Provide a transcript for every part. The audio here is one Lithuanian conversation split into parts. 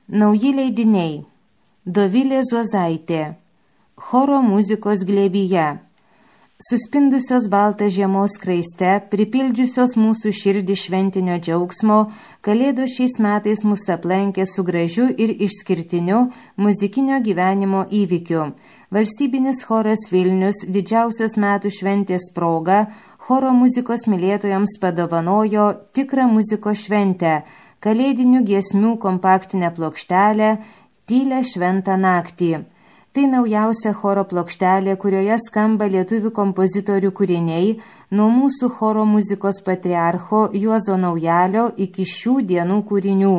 Nauji leidiniai. Dovilė Zuozaitė. Choro muzikos glėbyje. Suspindusios baltą žiemos skraiste, pripildžiusios mūsų širdį šventinio džiaugsmo, Kalėdos šiais metais mus aplankė su gražiu ir išskirtiniu muzikinio gyvenimo įvykiu. Valstybinis choras Vilnius didžiausios metų šventės proga choro muzikos mylėtojams padovanojo tikrą muzikos šventę, kalėdinių giesmių kompaktinę plokštelę Tylią šventą naktį. Tai naujausia choro plokštelė, kurioje skamba lietuvių kompozitorių kūriniai nuo mūsų choro muzikos patriarcho Juozo Naujalio iki šių dienų kūrinių.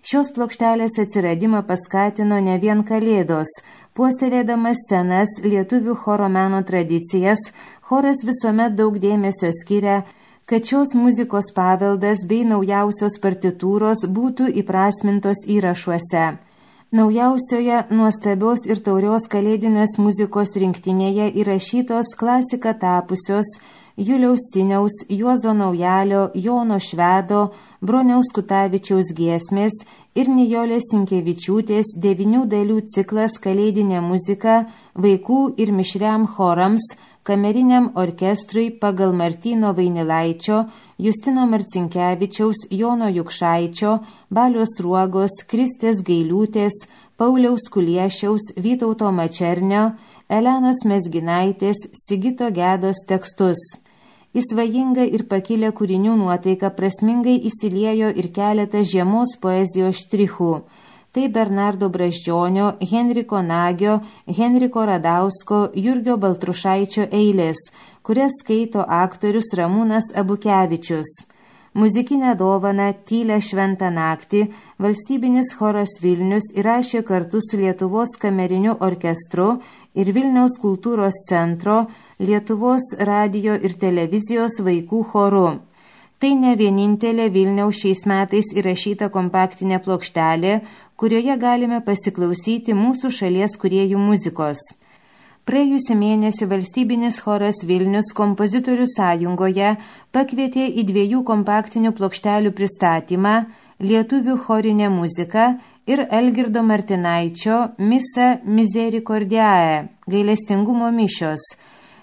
Šios plokštelės atsiradimą paskatino ne vien Kalėdos. Puoselėdamas senas lietuvių choro meno tradicijas, choras visuomet daug dėmesio skiria, kad šios muzikos paveldas bei naujausios partitūros būtų įprasmintos įrašuose. Naujausioje nuostabios ir taurios kalėdinės muzikos rinktinėje įrašytos klasika tapusios Juliaus Siniaus, Juozo Naujalio, Jono Švedo, Broniaus Kutavičiaus giesmės ir Nijolės Sinkevičiūtės 9 dalių ciklas Kalėdinė muzika vaikų ir mišriam chorams, kameriniam orkestrui pagal Martyno Vainilaičio, Justino Marcinkevičiaus, Jono Jukšaičio, Balios Ruogos, Kristės Gailiūtės, Pauliaus Kuliešiaus, Vytauto Mačernio, Elenos Mezginaitės, Sigito Gedos tekstus. Į svajingą ir pakilę kūrinių nuotaiką prasmingai įsiliejo ir keletas žiemos poezijos štrichų. Tai Bernardo Brazdžionio, Henriko Nagio, Henriko Radausko, Jurgio Baltrušaičio eilės, kurias skaito aktorius Ramūnas Abukevičius. Muzikinę dovaną Tylią šventą naktį valstybinis choras Vilnius įrašė kartu su Lietuvos kameriniu orkestru ir Vilniaus kultūros centro, Lietuvos radijo ir televizijos vaikų choru. Tai ne vienintelė Vilniaus šiais metais įrašyta kompaktinė plokštelė, kurioje galime pasiklausyti mūsų šalies kūrėjų muzikos. Praėjusį mėnesį valstybinis choras Vilnius kompozitorių sąjungoje pakvietė į 2 kompaktinių plokštelių pristatymą Lietuvių chorinė muzika ir Algirdo Martinaičio Misa Misericordiae, gailestingumo mišios.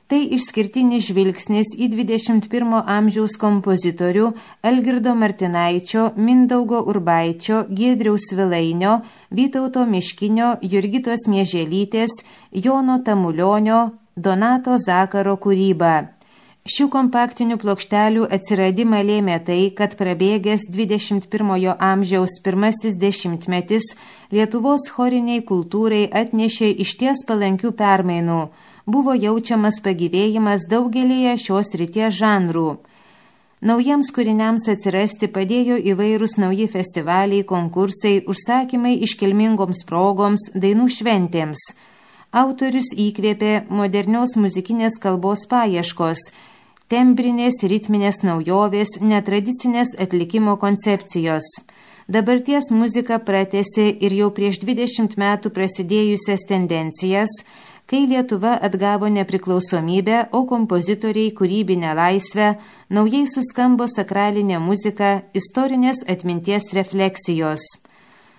Tai išskirtinis žvilgsnis į 21 amžiaus kompozitorių Algirdo Martinaičio, Mindaugo Urbaičio, Giedriaus Svilainio, Vytauto Miškinio, Jurgitos Mieželytės, Jono Tamulionio, Donato Zakaro kūryba. Šių kompaktinių plokštelių atsiradimą lėmė tai, kad prabėgęs 21 amžiaus pirmasis dešimtmetis Lietuvos choriniai kultūrai atnešė išties palankių permainų. Buvo jaučiamas pagyvėjimas daugelėje šios srities žanrų. Naujiems kūriniams atsirasti padėjo įvairūs nauji festivaliai, konkursai, užsakymai iškilmingoms progoms, dainų šventėms. Autorius įkvėpė modernios muzikinės kalbos paieškos, tembrinės, ritminės naujovės, netradicinės atlikimo koncepcijos. Dabarties muzika pratęsė ir jau prieš 20 metų prasidėjusias tendencijas, kai Lietuva atgavo nepriklausomybę, o kompozitoriai kūrybinę laisvę, naujai suskambo sakralinė muzika, istorinės atminties refleksijos.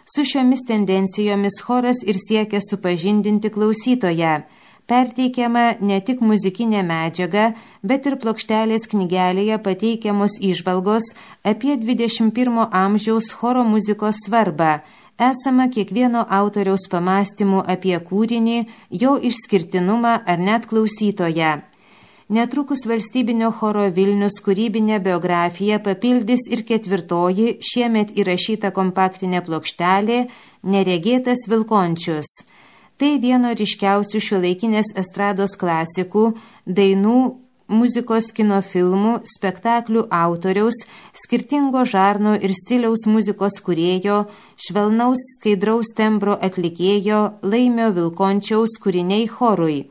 Su šiomis tendencijomis choras ir siekia supažindinti klausytoją. Perteikiama ne tik muzikinė medžiaga, bet ir plokštelės knygelėje pateikiamos įžvalgos apie 21 amžiaus choro muzikos svarbą, esama kiekvieno autoriaus pamastymų apie kūrinį, jo išskirtinumą ar net klausytoją. Netrukus valstybinio choro Vilnius kūrybinę biografiją papildys ir 4 šiemet įrašyta kompaktinė plokštelė Neregėtas Vilkončius. Tai vieno ryškiausių šiuolaikinės estrados klasikų, dainų, muzikos kino filmų, spektaklių autoriaus, skirtingo žarno ir stiliaus muzikos kūrėjo, švelnaus skaidraus tembro atlikėjo Laimio Vilkončiaus kūriniai chorui.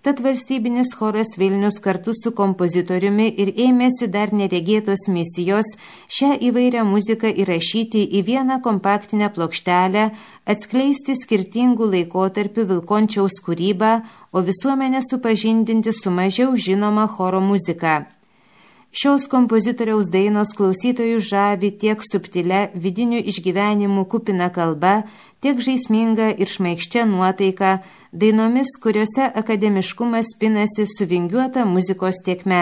Tad valstybinis choras Vilnius kartu su kompozitoriumi ir ėmėsi dar neregėtos misijos šią įvairią muziką įrašyti į vieną kompaktinę plokštelę, atskleisti skirtingų laikotarpių Vilkončiaus kūrybą, o visuomenę supažindinti su mažiau žinoma choro muzika. Šios kompozitoriaus dainos klausytojų žavi tiek subtilia vidinių išgyvenimų kupina kalba, tiek žaisminga ir šmaikščia nuotaika, dainomis, kuriuose akademiškumas pinasi su vingiuota muzikos tėkme.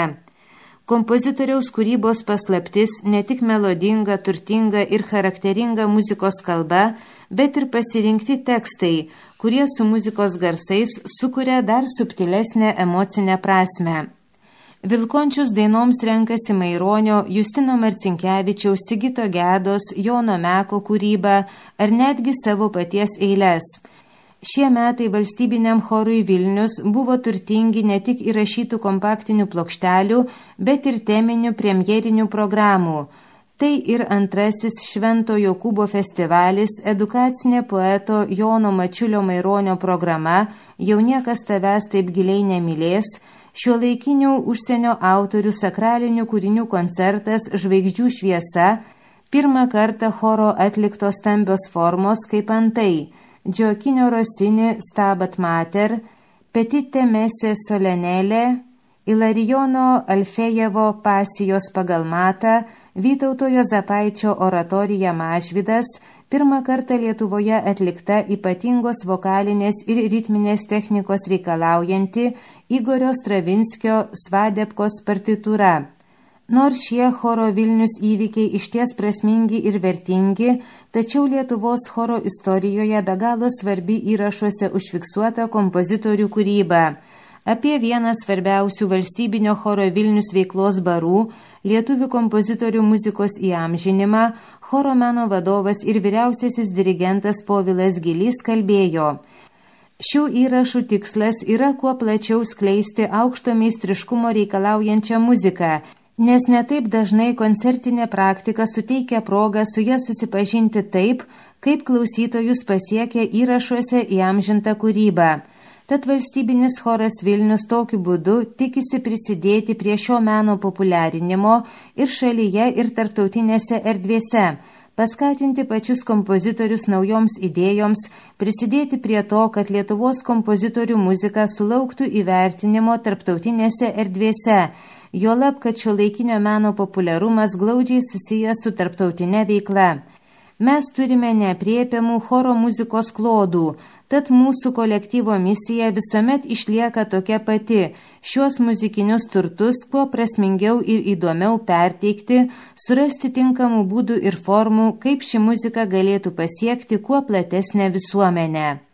Kompozitoriaus kūrybos paslaptis ne tik melodinga, turtinga ir charakteringa muzikos kalba, bet ir pasirinkti tekstai, kurie su muzikos garsais sukuria dar subtilesnę emocinę prasmę. Vilkončius dainoms renkasi Maironio, Justino Marcinkevičiaus, Sigito Gedos, Jono Meko kūrybą ar netgi savo paties eiles. Šie metai valstybiniam chorui Vilnius buvo turtingi ne tik įrašytų kompaktinių plokštelių, bet ir teminių premjerinių programų. Tai ir antrasis Švento Jokūbo festivalis, edukacinė poeto Jono Mačiulio Maironio programa Jau niekas tavęs taip giliai nemylės, šiuolaikinių užsienio autorių sakralinių kūrinių koncertas Žvaigždžių šviesa, pirmą kartą choro atliktos stambios formos kaip antai Gioacchino Rossini Stabat Mater, Petite Messe Solenelė, Ilarijono Alfejevo Pasijos pagal matą, Vytauto Juozapaičio oratorija Mažvydas, pirmą kartą Lietuvoje atlikta ypatingos vokalinės ir ritminės technikos reikalaujanti Igorio Stravinskio Svadebkos partitūra. Nors šie choro Vilnius įvykiai išties prasmingi ir vertingi, tačiau Lietuvos choro istorijoje be galo svarbi įrašuose užfiksuota kompozitorių kūryba. Apie vieną svarbiausių valstybinio choro Vilnius veiklos barų, lietuvių kompozitorių muzikos įamžinimą, choro meno vadovas ir vyriausiasis dirigentas Povilas Gilys kalbėjo. Šių įrašų tikslas yra kuo plačiau skleisti aukšto meistriškumo reikalaujančią muziką, nes netaip dažnai koncertinė praktika suteikia progą su ja susipažinti taip, kaip klausytojus pasiekia įrašuose įamžinta kūryba. Tad valstybinis choras Vilnius tokiu būdu tikisi prisidėti prie šio meno populiarinimo ir šalyje, ir tarptautinėse erdvėse, paskatinti pačius kompozitorius naujoms idėjoms, prisidėti prie to, kad Lietuvos kompozitorių muzika sulauktų įvertinimo tarptautinėse erdvėse, juolab, kad šiuolaikinio meno populiarumas glaudžiai susijęs su tarptautinė veikla. Mes turime neaprėpiamų choro muzikos klodų, tad mūsų kolektyvo misija visuomet išlieka tokia pati – šiuos muzikinius turtus kuo prasmingiau ir įdomiau perteikti, surasti tinkamų būdų ir formų, kaip ši muzika galėtų pasiekti kuo platesnę visuomenę.